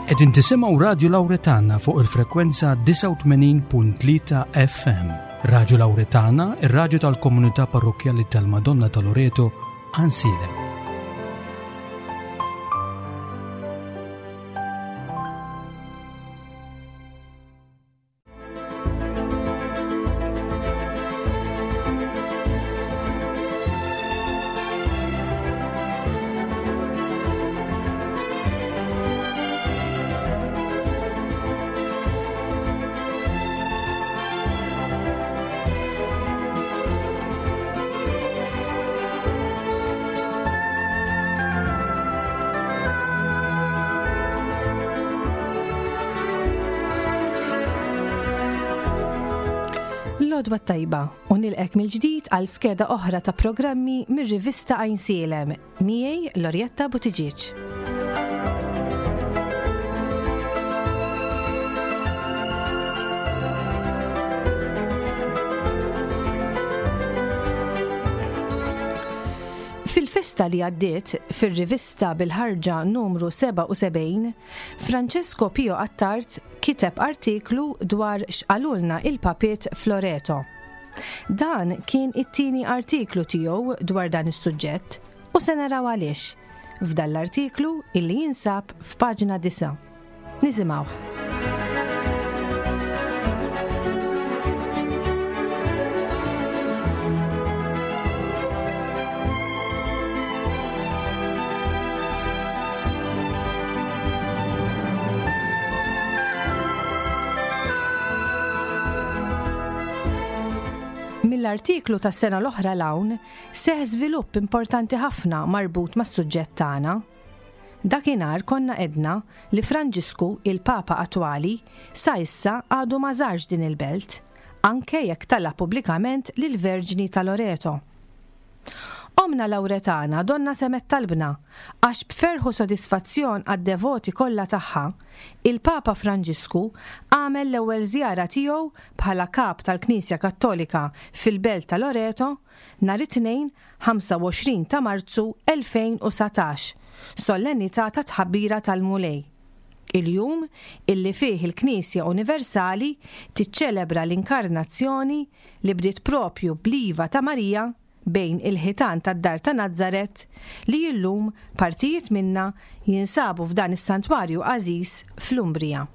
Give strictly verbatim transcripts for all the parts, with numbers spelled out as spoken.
Qegħdin tisimgħu Radju Lawretana fuq il-frekwenza disgħa u tmenin punt tlieta F M. Radju Lawretana, ir-radju tal-Komunità Parrokkjali tal-Madonna ta' Loreto, Għajnsielem. L-għodwa t-tajba u nilqgħek mill-ġdid għal skeda oħra ta' programmi mir-rivista Għajnsielem, miegħi Lorjetta Buttigieg. Fil-festa li għaddiet, fil-rivista bil-ħarġa numru sebgħa u sebgħin, Francesco Pio Attard kiteb artiklu dwar x'qalulna il-papiet f'Loreto. Dan kien it-tieni artiklu tiegħu dwar dan is-suġġett u se naraw għaliex f'dan l-artiklu illi jinsab f'paġna disgħa. Nisimgħu. Mill-artiklu tas sena l-oħra 'l hawn seħħ żvilupp importanti ħafna marbut mas-suġġett tagħna. Dakinhar konna għedna li Franġisku, il-Papa attwali, sa issa għadu ma żarx din il-belt, anke jekk talab pubblikament lil Verġni ta' Loreto. Omna Lawretana donna semgħet talbna għax b'ferħ u sodisfazzjon għad-devoti kollha tagħha, il-Papa Franġisku għamel l-ewwel żjara tiegħu bħala kap tal-Knisja Kattolika fil-Belt ta' Loreto nhar it-Tnejn ħamsa u għoxrin ta' Marzu elfejn u dsatax, solennità ta' tħabbira tal-Mulej. Il-jum illi fih il-Knisja Universali tiċċelebra l-inkarnazzjoni li bdiet propju bl-iva ta' Marija bejn il-ħitan tad-dar ta' Nazzaret li illum partijiet minna jinsabu f'dan is-santwarju għażiż fl-Umbrija.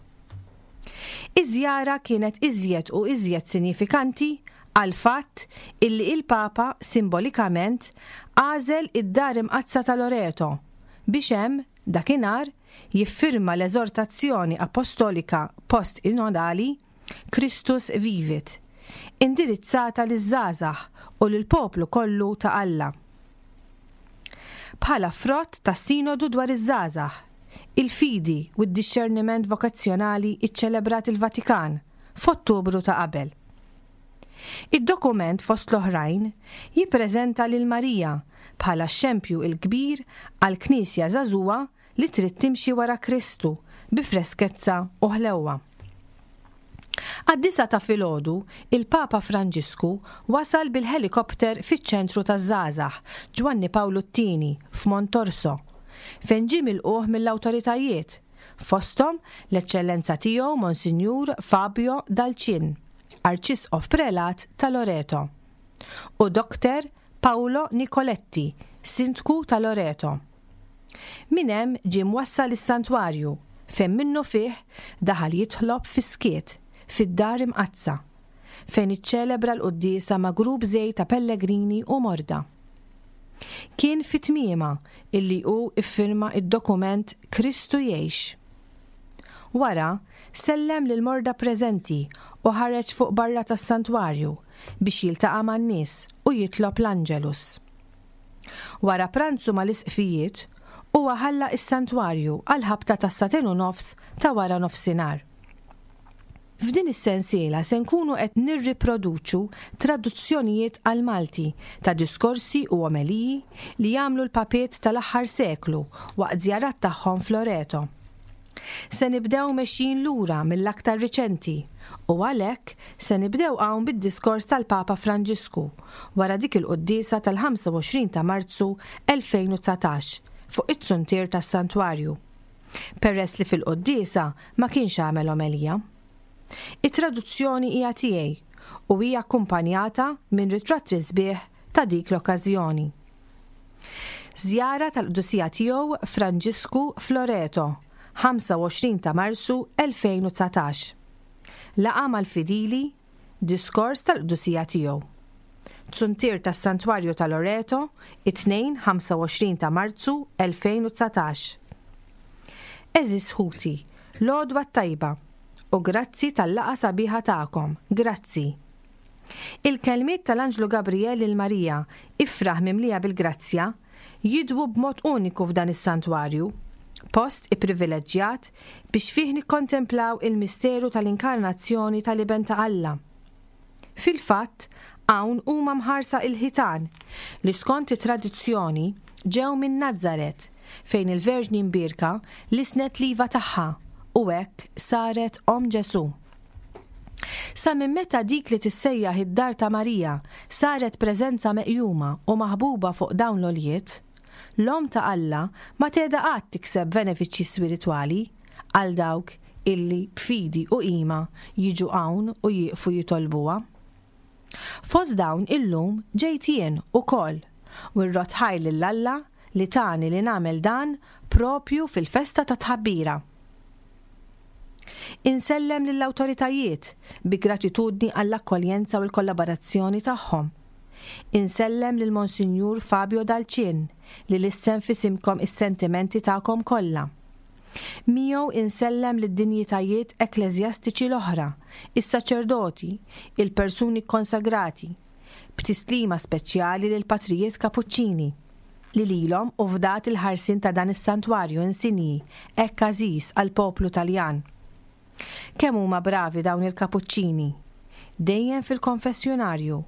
Iż-żjara kienet iżjed u iżjed sinifikanti għal fatt illi il-Papa simbolikament għażel id-dar imqaddsa ta' Loreto biex hemm dakinhar jiffirma l-eżortazzjoni apostolika post-sinodali Christus Vivit, indirizzata liż-żgħażagħ u lill-poplu kollu ta' Alla. Bħala frott ta' sinodu dwar iż-żgħażagħ, il-fidi u d-dixxerniment vokazzjonali iċċelebrat il-Vatikan f'Ottubru ta' qabel. Id-dokument, fost l-oħrajn, jippreżenta lil Marija bħala xempju il-kbir għal knisja żagħżugħa li trid timxi wara Kristu bi freskezza u ħlewwa. Għad-disgħa ta' filgħodu, il-Papa Franġisku wasal bil-helikopter fiċ-ċentru taż-żgħażagħ Ġwanni Pawlu t-Tieni f'Montorso, fejn ġie milqugħ mill-awtoritajiet, fosthom l-Eċċellenza tiegħu Monsinjur Fabio Dal Cin, Arċisqof Prelat ta' Loreto, u Doktor Paolo Nicoletti, Sindku ta' Loreto. Min hemm ġie mwassal is-santwarju fejn minnu fih daħal jitlob fis-skiet fid-dar imqaddsa fejn iċċelebra l-quddiesa ma' grupp żgħir ta' pellegrini u morda. Kien fi tmiemha illi hu iffirma id-dokument Kristu Jgħix. Wara, sellem lil morda preżenti u ħareġ fuq barra tas-santwarju biex jiltaqa' man-nies u jitlob l-Angelus. Wara pranzu mal-isqfijiet, huwa ħalla is-santwarju għal ħabta tas-sagħtejn u nofs ta' wara nofsinhar. F'din is-sensiela se nkunu qed nirriproduċu traduzzjonijiet għal Malti ta' diskorsi u omeliji li jagħmlu l-papiet tal-aħħar seklu waqt żjarat tagħhom f'Loreto. Se nibdew mexjin lura mill-aktar riċenti u għalhekk se nibdew hawn bid-diskors tal-Papa Franġisku wara dik il-quddiesa tal-ħamsa u għoxrin ta' Marzu elfejn u dsatax fuq it-zuntier tas-santwarju. Peress li fil-quddiesa ma kienx għamel omelija. It-traduzzjoni hija tiegħi u hija akkumpanjata minn ritratti sbieħ ta' dik l-okkażjoni. Żjara tal-Qdusija Tiegħu Franġisku f'Loreto, ħamsa u għoxrin ta' Marzu elfejn u dsatax. Laqgħa mal-fidili, diskors tal-Qdusija Tiegħu. Zuntier tas-Santwarju ta' Loreto, it-Tnejn ħamsa u għoxrin ta' Marzu elfejn u dsatax. Għeżież ħuti, l-għodwa t-tajba u grazzi tal-laqgħa sabiħa tagħkom, grazzi. Il-kelmiet tal-Anġlu Gabriel lil Marija, ifraħ mimlija bil-grazzja, jidwu b'mod uniku f'dan is-santwarju, post ipprivileġġjat biex fih nikkontemplaw il-misteru tal-inkarnazzjoni tal-Iben ta' Alla. Fil-fatt, hawn huma mħarsa il-ħitan li skont it-tradizzjoni ġew minn Nazzaret, fejn il-Verġni Mbierka lisnet l-iva tagħha u hekk saret Omm Ġesù. Sa minn meta dik li tissejjaħ id-dar ta' Marija saret preżenza meqjuma u maħbuba fuq dawn l-oljiet, l-Omm ta' Alla ma tgħeda qatt tikseb benefiċċji spiritwali għal dawk illi b'fidi u qima jiġu hawn u jieqfu jitolbuha. Fost dawn illum ġejt jien ukoll u rrot ħaj lil Alla li tani li nagħmel dan propju fil-festa ta' tħabbira. Insellem lill-awtoritajiet bi gratitudni għall-akkoljenza u l-kollaborazzjoni tagħhom. Insellem lil Monsinjur Fabio Dalcin li lissen f'isimkom is-sentimenti tagħkom kollha. Miegħu insellem lid-dinjitajiet ekkleżjastiċi l-oħra, is-saċerdoti, il-persuni konsagrati, b'tislima speċjali lil patrijiet Kapuċċini li lilhom u fdat il-ħarsin ta' dan is-santwarju insinji hekk għażiż għall-poplu Taljan. Kemm huma bravi dawn il-Kapuċċini, dejjem fil-konfessjonarju,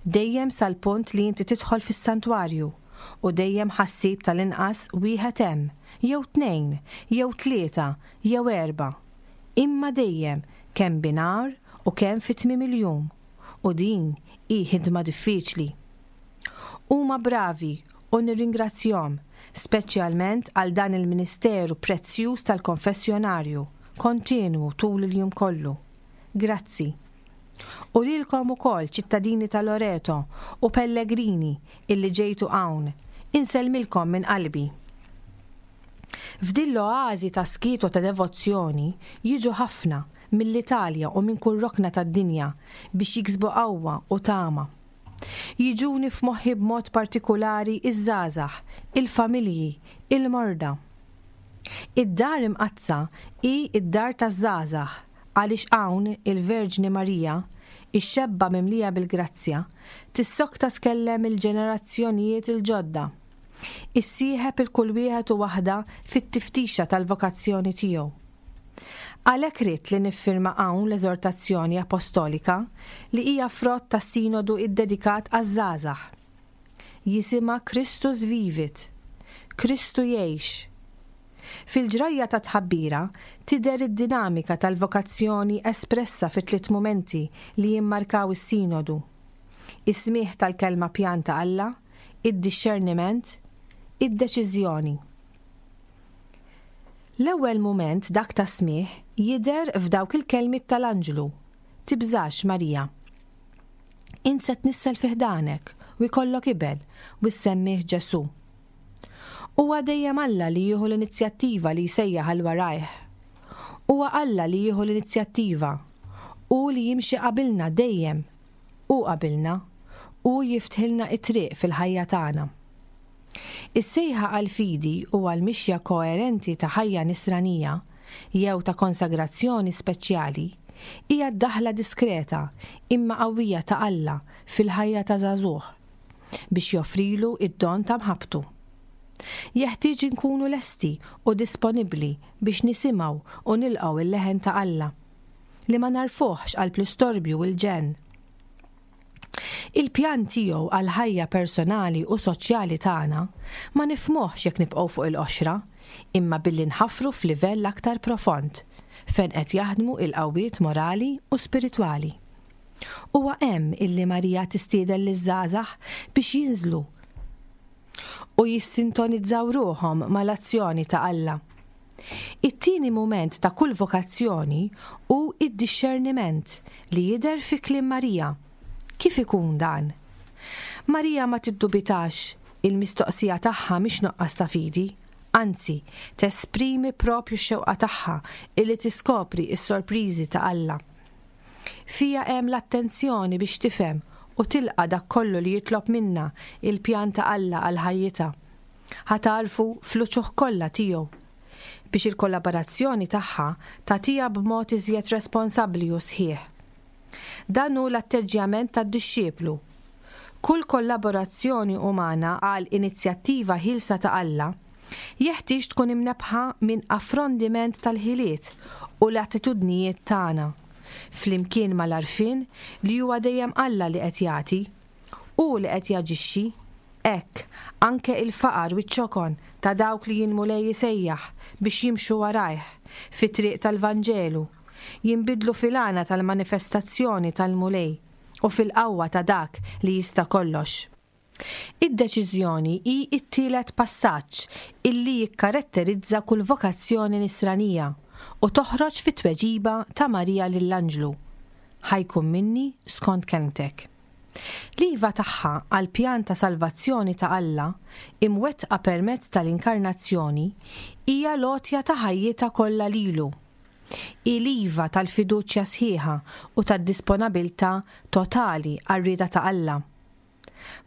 dejjem sal-punt li inti tidħol fis-santwarju u dejjem ħassib tal-inqas wieħed hemm, jew tnejn, jew tlieta, jew erba'. Imma dejjem kemm binar u kemm fi tmiem il-jum, u din hi ħidma diffiċli. Huma bravi u nirringrazzjahom, speċjalment għal dan il-ministeru prezzjuż tal-konfessjonarju, kontinwu tul il-jum kollu. Grazzi. U lilkom ukoll ċittadini ta' Loreto u pellegrini illi ġejtu hawn, insellmilkom minn qalbi. F'din l-oażi ta' skiet u ta' devozzjoni jiġu ħafna mill-Italja u minn kull rokna tad-dinja biex jiksbu qawwa u tama. Jiġuni f'moħħi b'mod partikulari iż-żgħażagħ, il-familji, il-morda. Id-dar imqaddsa hi id-dar taż-żgħażagħ għaliex hawn il-Verġni Marija, ix-xebba mimlija bil-grazzja, tissokta tkellem il-ġenerazzjonijiet il-ġodda. Issieħeb il-kull wieħed u waħda fit-tiftixa tal-vokazzjoni tiegħu. Għalhekk ridt li niffirma hawn l-eżortazzjoni apostolika li hija frott tas-sinodu iddedikat għaż-żgħażagħ. Jisimha Christus Vivit, Kristu jgħix. Fil-ġrajja ta' tħabbira tidher id-dinamika tal-vokazzjoni espressa fi tliet mumenti li jimmarkaw is-sinodu. Is-smigħ tal-kelma pjan ta' Alla, id-dixxerniment, id-deċiżjoni. L-ewwel mument dak ta' smigħ jidher f'dawk il-kelmiet tal-anġlu. Tibżax, Marija. Int se tnissel fi ħdanek u jkollok iben u ssemmih Ġesù. Huwa dejjem Alla li jieħu l-inizjattiva li jsejjaħ għal warajh. Huwa Alla li jieħu l-inizjattiva. Hu li jimxi qabilna dejjem. Hu qabilna. Hu jiftħilna it-triq fil-ħajja tagħna. Is-sejħa għall-fidi u għall-mixja koerenti ta' ħajja nisranija jew ta' konsagrazzjoni speċjali hija d-daħla diskreta imma qawwija ta' Alla fil-ħajja ta' żagħżugħ biex joffrilu id-don ta' mħabbtu. Jeħtieġ inkunu lesti u disponibbli biex nisimgħu u nilqgħu il-leħen ta' Alla li ma narfuħx qalb l-istorbju u l-ġenn. Il-pjan tiegħu għal ħajja personali u soċjali tagħna ma nifhmuhx jekk nibqgħu fuq il-qoxra, imma billi nħaffru f'livell aktar profond fejn qed jaħdmu il-qawwiet morali u spiritwali. Huwa hemm illi Marija tistieden liż-żgħażagħ biex jinżlu u jissintonizzaw ruħhom mal-azzjoni ta' Alla. It-tieni mument ta' kull vokazzjoni hu d-dixxerniment li jidher fi kliem Marija. Kif ikun dan? Marija ma tiddubitax, il-mistoqsija tagħha mhix nuqqas ta' fidi, anzi, tesprimi propju x-xewqa tagħha illi tiskopri s-sorpriżi ta' Alla. Fiha hemm l-attenzjoni biex tifhem u tilqa' dak kollu li jitlob minnha il-pjan ta' Alla għal ħajjitha. Ħa tagħrfu fl-uċuħ kollha tiegħu. Biex il-kollaborazzjoni tagħha tagħtiha b'mod iżjed responsabbli u sħiħ. Dan hu l-atteġġjament tad-dixxiplu. Kull kollaborazzjoni umana għal inizjattiva ħielsa ta' Alla jeħtieġ tkun imnebbħa minn affrondiment tal-ħiliet u l-attitudnijiet tagħna, flimkien mal-għarfien li huwa dejjem Alla li qed jagħti, hu li qed jaġixxi. Hekk, anke il-faqar u ċ-ċokon ta' dawk li l-Mulej isejjaħ biex jimxu warajh fit-triq tal-Vanġelu, jinbidlu fil-għana tal-manifestazzjoni tal-Mulej u fil-qawwa ta' dak li jista' kollox. Id-deċiżjoni hi t-tielet passaġġ illi jikkaratterizza kull vokazzjoni nisranija u toħroġ fit-tweġiba ta' Marija lill-Anġlu. Ħa jkun minni skont kelmtek. L-iva tagħha għal pjan ta' salvazzjoni ta' Alla imwettqa permezz tal-inkarnazzjoni hija l-għotja ta' ħajjitha kollha lilu. Hi l-iva tal-fiduċja sħiħa u tad-disponabilità totali għar-rieda ta' Alla.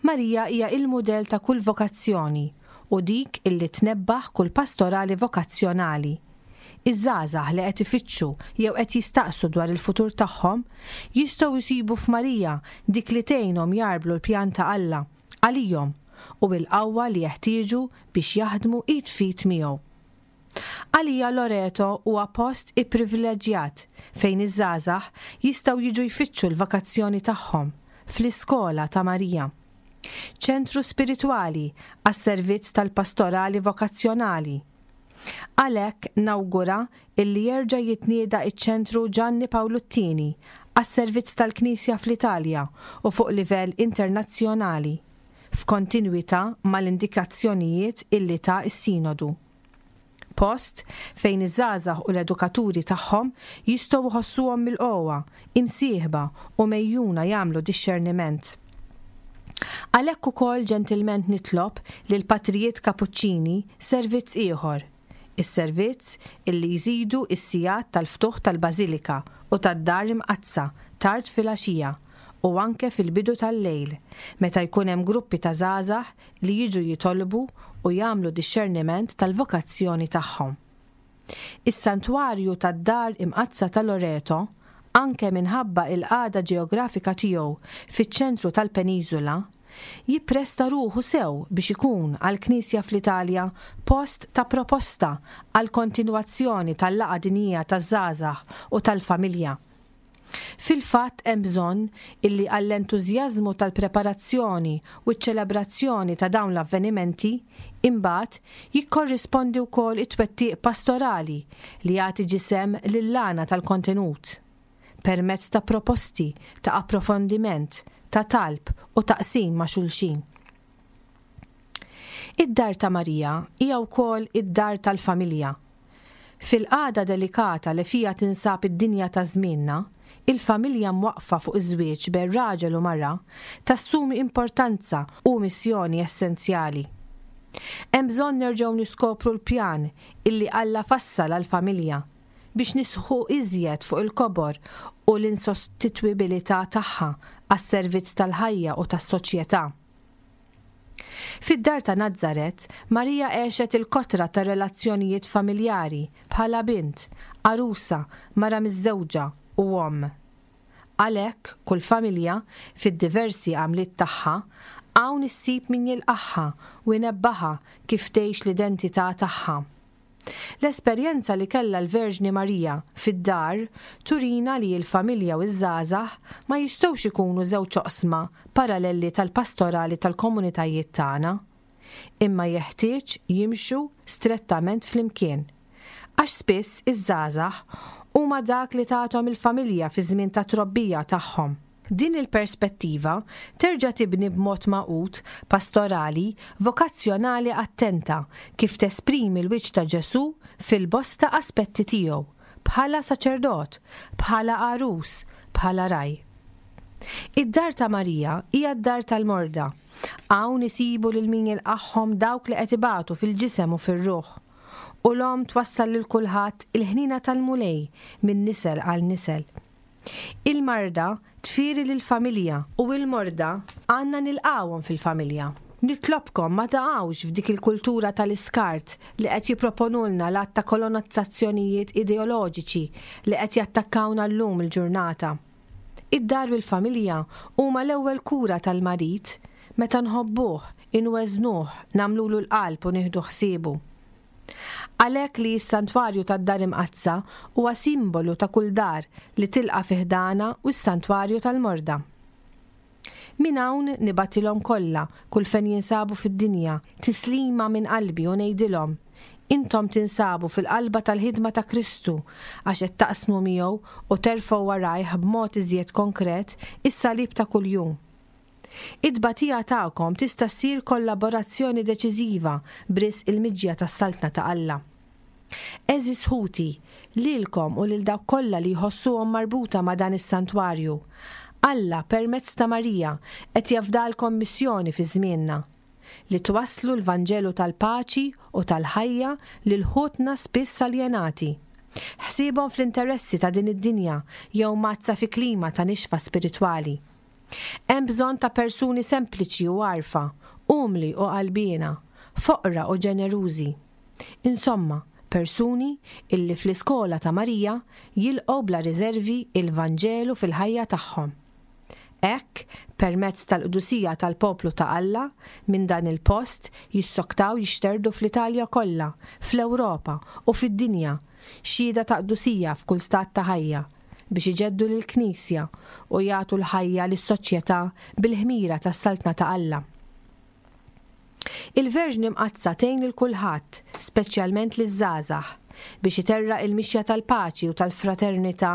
Marija hija il-mudell ta' kull vokazzjoni u dik illi tnebbaħ kull pastorali vokazzjonali. Iż-żgħażagħ li qed ifittxu jew qed jistaqsu dwar il-futur tagħhom jistgħu jsibu f'Marija dik li tgħinhom jagħrblu l-pjan ta' Alla għalihom u l-qawwa li jeħtieġu biex jaħdmu id f'id miegħu. Għalija Loreto huwa post ipprivileġġjat fejn iż-żgħażagħ jistgħu jiġu jfittxu l-vokazzjoni tagħhom fl-iskola ta' Marija. Ċentru spiritwali għas-servizz tal-pastorali vokazzjonali. Għalhekk nawgura illi jerġa' jitnieda iċ-ċentru Gianni Paolo t-Tieni għas-servizz tal-Knisja fl-Italja u fuq livell internazzjonali, f'kontinwità mal-indikazzjonijiet illi ta s-Sinodu. Post fejn iż-żgħażagħ u l-edukaturi tagħhom jistgħu jħossuhom milqugħa, imsieħba u megħjuna jagħmlu dixxerniment. Għalhekk ukoll ġentilment nitlob lil patrijiet Kapuċċini servizz ieħor, is-servizz illi jżidu s-sigħat tal-ftuħ tal-Bażilika u tad-Dar Imqaddsa tard filgħaxija u anke fil-bidu tal-lejl, meta jkun hemm gruppi ta' żgħażagħ li jiġu jitolbu u jagħmlu dixxerniment tal-vokazzjoni tagħhom. Is-santwarju tad-Dar Imqaddsa ta' Loreto, anke minħabba il-qagħda ġeografika tiegħu fiċ-ċentru tal-peniżola, jippresta ruħu sew biex ikun għall-Knisja fl-Italja post ta' proposta għal kontinwazzjoni tal-laqgħa dinjija taż-żgħażagħ u tal-familja. Fil-fatt hemm bżonn illi għall-entużjażmu tal-preparazzjoni u ċ-ċelebrazzjoni ta' dawn l-avvenimenti imbagħad jikkorrispondi wkoll it-twettiq pastorali li jagħti ġisem lill-għana tal-kontenut permezz ta' proposti ta' approfondiment, ta' talb u taqsim ma' xulxin. Id-dar ta' Marija hija wkoll id-dar tal-familja. Fil-qagħda delikata li fija tinsab id-dinja ta' żmienna, il-familja mwaqfa fuq iż-żwieġ bejn raġel u mara tassumi importanza u missjoni essenzjali. Hemm bżonn nerġgħu niskopru l-pjan illi Alla fassal għall-familja biex nisħu iżjed fuq il-kobor u l-insostitwibilità tagħha għas-servizz tal-ħajja u tas-soċjetà. Fid-dar ta' Nazzaret, Marija għexet il-kotra ta' relazzjonijiet familjari bħala bint, arusa, mara miżżewġa u omm. Għalhekk kull familja fid-diversi għamliet tagħha hawn issib min jilqagħha u jnebbaħha kif tgħix l-identità tagħha. L-esperjenza li kellha l-Verġni Marija fid-dar turina li l-familja u ż-żgħażagħ ma jistgħux ikunu żewġ oqsma paralleli tal-pastorali tal-komunitajiet tagħna, imma jeħtieġ jimxu strettament flimkien. Għax spiss iż-żgħażagħ huma dak li tagħthom il-familja fi żmien ta' trobbija tagħhom. Din il-perspettiva terġa' tibni b'mod magħqud, pastorali, vokazzjonali attenta kif tesprimi l-wiċċ ta' Ġesù fil-bosta aspetti tiegħu, bħala saċerdot, bħala għarus, bħala ragħaj. Id-dar ta' Marija hija d-dar tal-morda. Hawn isibu lil min jilqagħhom dawk li qed ibatu fil-ġisem u fir-ruħ. U l-omm twassal lil kulħadd il-ħnina tal-Mulej minn nisel għal nisel. Il-marda tfieri lill-familja u l-morda għandna nilqgħuhom fil-familja. Nitlobkom ma taqgħux f'dik il-kultura tal-iskart li qed jipproponulna l-att ta' kolonizzazzjonijiet ideoloġiċi li qed jattakkawna llum il-ġurnata. Id-dar u l-familja huma l-ewwel kura tal-marid meta nħobbuh, inweżnuh, nagħmlulu l-qalb u nieħdu ħsiebu. Għalhekk li s-santwarju tad-Dar Imqaddsa huwa simbolu ta' kull dar li tilqa' fi ħdanha u s-santwarju tal-morda. Minn hawn nibgħatilhom kollha kull fejn jinsabu fid-dinja tislima minn qalbi u ngħidilhom: intom tinsabu fil-qalba tal-ħidma ta' Kristu għax qed taqsmu miegħu u terfgħu warajh b'mod iżjed konkret is-salib ta' kuljum. Id-tbatija tagħkom tista' ssir kollaborazzjoni deċiżiva b'risq il-miġja tas-Saltna ta' Alla. Għeżież ħuti, lilkom u lil dawk kollha li jħossuhom marbuta ma' dan is-santwarju, Alla permezz ta' Marija qed jafdalkom missjoni fi żmienna li twasslu l-Vanġelu tal-paċi u tal-ħajja lil ħutna spiss aljenati. Ħsiebhom fl-interessi ta' din id-dinja jew mazza fi klima ta' nixfa spiritwali. Hemm bżonn ta' persuni sempliċi u għarfa, umli u qalbiena, foqra u ġenerużi. Insomma, persuni illi fl-iskola ta' Marija jilqgħu bla riservi il-Vanġelu fil-ħajja tagħhom. Hekk, permezz tal-qdusija tal-poplu ta' Alla, minn dan il-post jissoktaw jixterdu fl-Italja kollha, fl-Ewropa u fid-dinja, xhieda ta' qdusija f'kull stat ta' ħajja, biex iġeddu lill-Knisja u jagħtu l-ħajja lis-soċjetà bil-ħmira tas-Saltna ta' Alla. Il-Verġni Mqaddsa tgħin lil kulħadd, speċjalment liż-żgħażagħ, biex iterraq il-mixja tal-paċi u tal-fraternità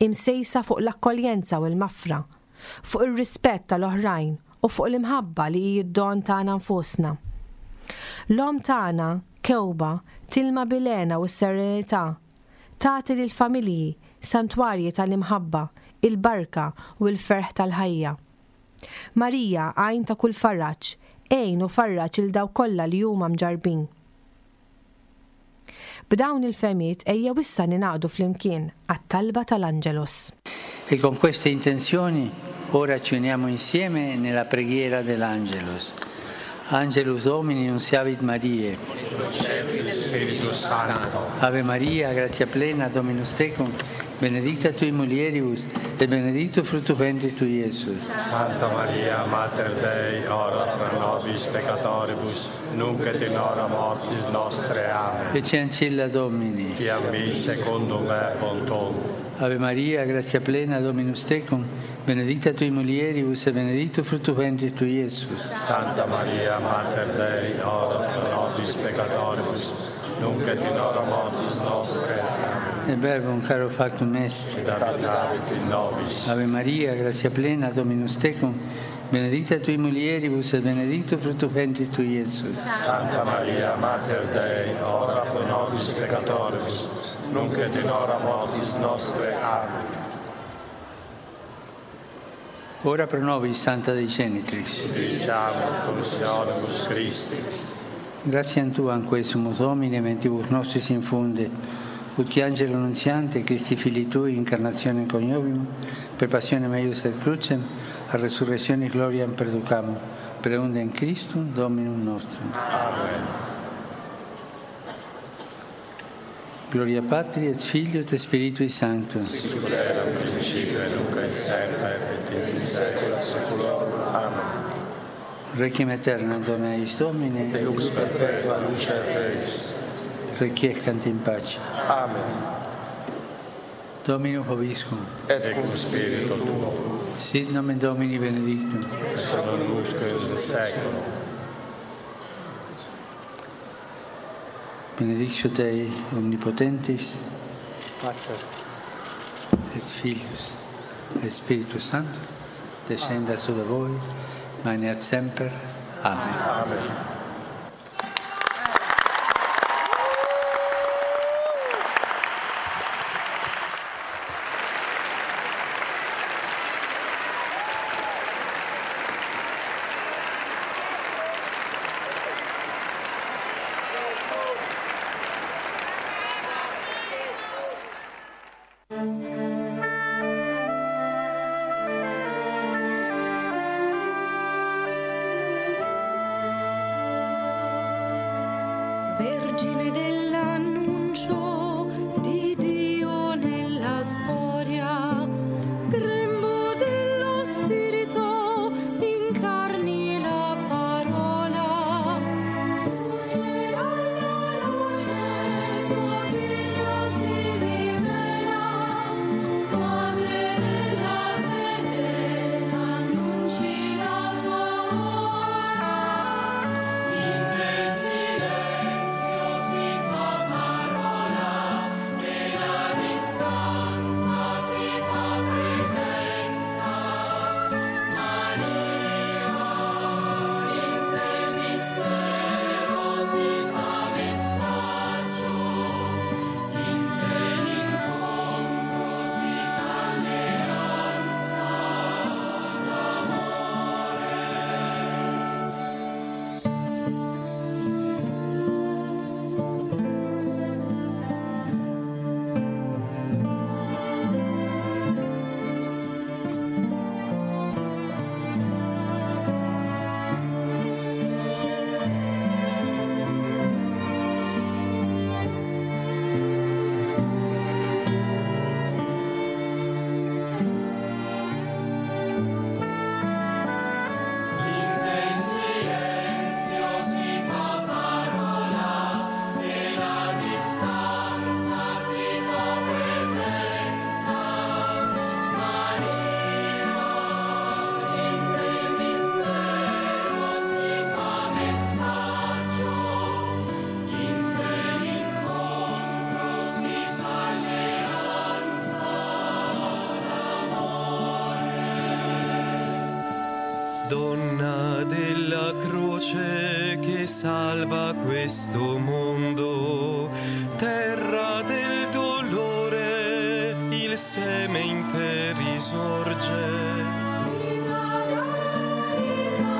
imsejsa fuq l-akkoljenza u l-mafra, fuq ir-rispett tal-oħrajn u fuq l-imħabba li hi d-don tagħna nfusna. L-omm tagħna, kewba, tilma bil-hena u s-serenità, tagħti lill-familji santwarji tal-imħabba, il-barka u l-ferħ tal-ħajja. Marija, għajn ta' kull faraġ, għin u farraġ il dawk kollha li huma mġarbin. B'dawn il-fehmiet ejja issa ningħaqdu flimkien għat-talba tal-Angelus. E con queste intenzioni ora ci uniamo insieme nella preghiera dell'Angelus. Angelus Domini nuntiavit Mariae. Spiritus Sancto. Ave Maria, gratia plena, Dominus tecum, benedicta tui mulieribus, et benedictus fructus ventris tui, Iesus. Santa Maria, Mater Dei, ora pro nobis peccatoribus, nunc et in hora mortis nostre. Amen. Ecce ancilla Domini. Fiat mi secundum verbum tuum. Ave Maria, gratia plena, Dominus tecum, benedicta tui mulieribus, et benedictus fructus ventris tui, Iesus. Santa Maria, Mater Dei, ora pro nobis peccatoribus, nunc et in hora mortis nostre. Amen. Et verbum caro factum est. Et habitavit in nobis. Ave Maria, gratia plena, Dominus tecum, benedicta tui mulieribus, et benedictus fructus ventris tui, Iesus. Santa Maria, Mater Dei, ora pro nobis peccatoribus, nunc et in hora mortis nostre. Amen. Ora pro nobis, Santa Dei Genitris. Diciamo, consolibus Christi. Gratiam Tuam, quae sumus Domine, mentibus nostris infunde, ut qui angelo nunziante, Christi Filii Tui, incarnationem coniovimus, per passionem eius et crucem, a resurrectionis gloriam perducamur, per eundem Christum Dominum nostrum. Amen. Gloria Patri et Filio et Spiritui Sancto. Sicut era in principio et nunc et semper et in saecula saeculorum. Amen. Requiem aeternam dona eis Domine. Et lux perpetua luce eis. Requiescant in pace. Amen. Dominus vobiscum. Et cum spiritu tuo. Sit nomen Domini benedictum. Et non usque in saeculum. Benedictio Dei omnipotentis, Pater et Filius et Spiritus Sanctus. Descenda su di voi, manet semper. Amen. Amen. Vergine dell'annuncio di Dio nella storia, grembo dello Spirito, incarni la parola. Luce alla luce, tuo figlio si rivela, madre della fede, annunci la sua ora. In te silenzio si fa parola e la distanza si fa presenza. Maria, in te mistero si fa messaggio, in te l'incontro si fa alleanza d'amore. In te silenzio si fa parola e la distanza si fa presenza. Maria, in te mistero si fa messaggio, in te l'incontro si fa alleanza d'amore. Donna della croce che salva questo mondo, terra del dolore, il seme in te risorge. Vita dalla vita,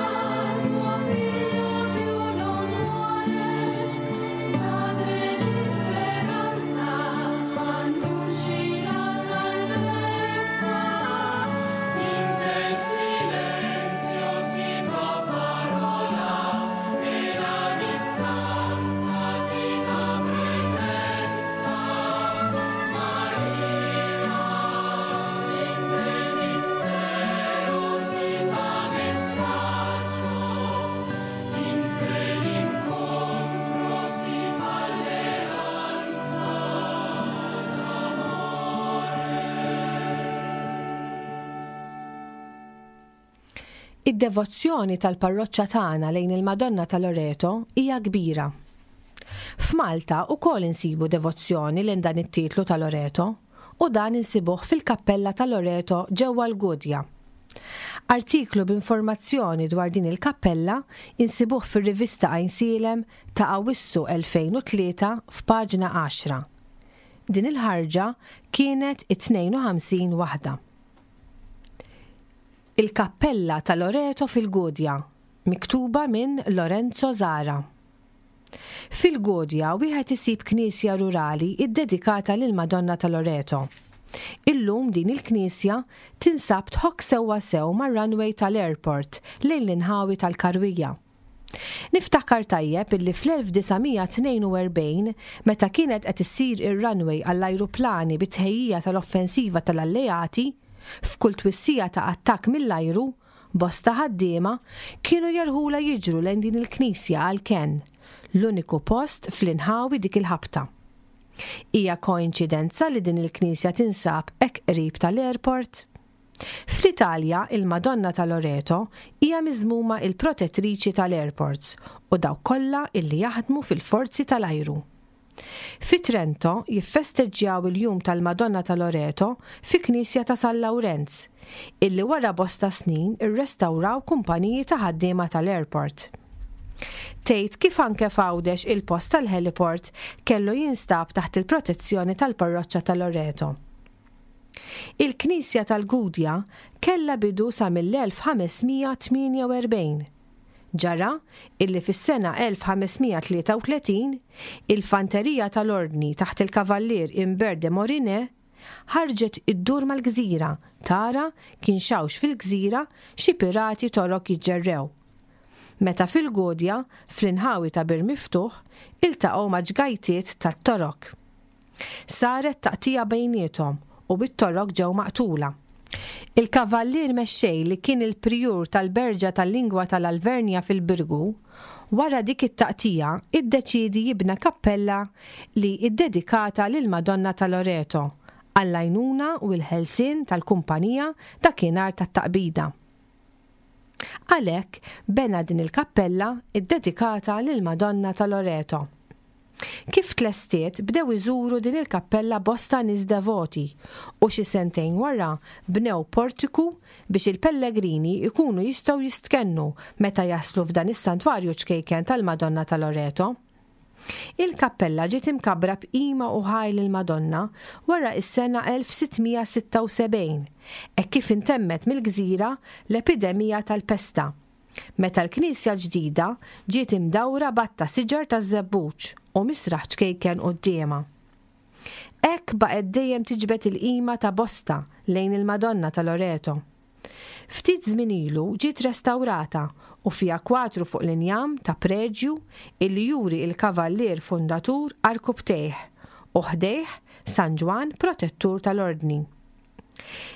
tuo figlio più non muore, madre di speranza, annunci la salvezza. In te silenzio si fa parola e la distanza si fa presenza. Maria, in te mistero si fa messaggio, in te l'incontro si fa alleanza d'amore. Id-devozzjoni tal-parroċċa tagħna lejn il-Madonna ta' Loreto hija kbira. F'Malta wkoll insibu devozzjoni lejn dan it-titlu ta' Loreto u dan insibuh fil-Kappella ta' Loreto ġewwa l-Gudja. Artiklu b'informazzjoni dwar din il-kappella insibuh fir-rivista Għajnsielem ta' Awwissu elfejn u tlieta f'paġna għaxra. Din il-ħarġa kienet it-tnejn u ħamsin waħda. Il-Kappella ta' Loreto fil-Gudja, miktuba minn Lorenzo Zara. Fil-Gudja wieħed isib knisja rurali iddedikata lil Madonna ta' Loreto. Illum din il-knisja tinsab tħokk sewwa sew mar-runway tal-airport lejn l-inħawi tal-Karwija. Niftakar tajjeb illi fl-elf disa' mija tnejn u erbgħin, meta kienet qed issir ir-runway għall-ajruplani bit-tħejjija tal-offensiva tal-alleati, f'kull twissija ta' attakk mill-ajru, bosta ħaddiema kienu jerħula jiġru lejn din il-knisja għal kenn, l-uniku post fl-inħawi dik il-ħabta. Hija koinċidenza li din il-knisja tinsab hekk qrib tal-airport? Fl-Italja, il-Madonna ta' Loreto hija miżmuma il-protettriċi tal-airports u dawk kollha illi jaħdmu fil-forzi tal-ajru. Fi Trento jiffesteġġjaw il-jum tal-Madonna ta' Loreto fi Knisja ta' San Lawrenz, illi wara bosta snin irrestawraw kumpaniji ta' ħaddiema tal-airport. Tgħid kif anke f'Għawdex il-post tal-heliport kellu jinstab taħt il-protezzjoni tal-parroċċa ta' Loreto. Il-Knisja tal-Gudja kellha bidu sa mill-elf ħames mija tmienja u erbgħin. Ġara illi fis-sena elf ħames mija tlieta u tletin il-fanterija tal-Ordni taħt il-Kavallier Imbert de Morinet ħarġet iddur mal-gżira tara kien xawx fil-gżira xi pirati torok jiġġerrew. Meta fil-Gudja, fl-inħawi ta' Bir Miftuħ, iltaqgħu ma' ġgajtiet tat-torok. Saret taqtija bejniethom u bit-torok ġew maqtula. Il-kavallier mexxej li kien il-prijur tal-Berġa tal-Lingwa tal-Alvernja fil-Birgu, wara dik it-taqtija iddeċiedi jibna kappella li iddedikata lil Madonna ta' Loreto għall-għajnuna u l-ħelsien tal-kumpanija dakinhar tat-taqbida. Għalhekk bena din il-kappella iddedikata lil Madonna ta' Loreto. Kif tlestiet bdew iżuru din il-kappella bosta nies devoti u xi sentejn wara bnew portiku biex il-pellegrini ikunu jistgħu jistkennu meta jaslu f'dan is-santwarju ċkejken tal-Madonna ta' Loreto. Il-kappella ġiet imkabbra b'qima u ħajl il-Madonna wara is-sena elf sitt mija sitta u sebgħin, hekk kif intemmet mill-gżira l-epidemija tal-pesta, meta l-knisja ġdida ġiet imdawra batta siġar taż-żebbuġ u misraħ ċkejken quddiemha. Hekk baqgħet dejjem tiġbed il-qima ta' bosta lejn il-Madonna ta' Loreto. Ftit żmien ilu ġiet restawrata u fiha kwatru fuq l-injam ta' preġju illi juri il-kavallier fundatur Arkubtejh u ħdejh San Ġwann protettur tal-Ordni.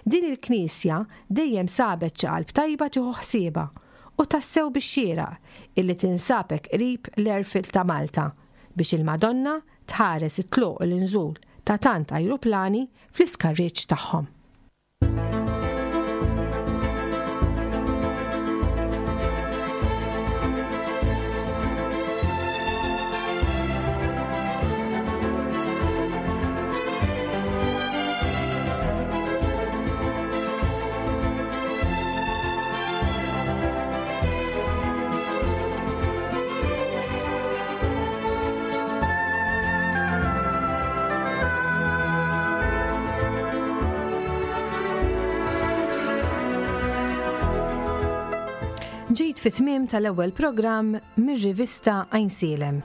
Din il-knisja dejjem sabet xi qalb tajba tieħu ħsiebha u tassew bix xieraq illi tinsabek qrib l-airfield ta' Malta biex il-Madonna tħares it-tluq u l-inżul ta' tant ajruplani fl-iskarriġġ tagħhom. Ġejt fit-tmiem tal-ewwel programm mir-rivista Għajnsielem.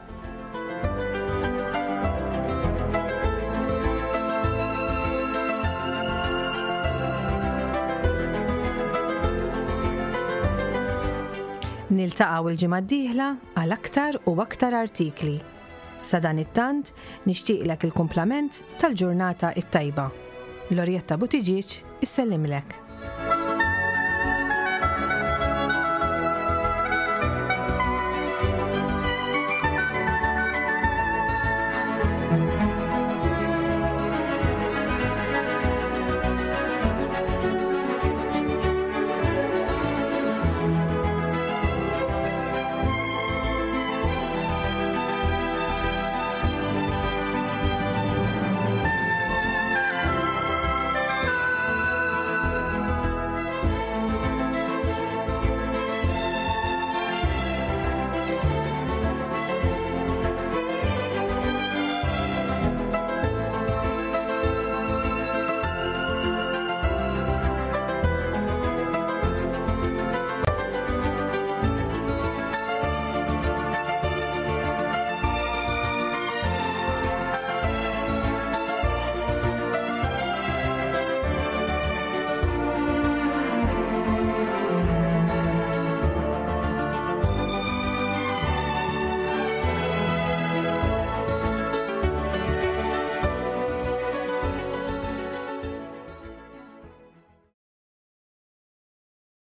Niltaqgħu l-ġimgħa d-dieħla għal aktar u aktar artikli. Sa dan it-tant nixtieqlek il-kumplament tal-ġurnata it-tajba. Lorjetta Buttigieg issellimlek.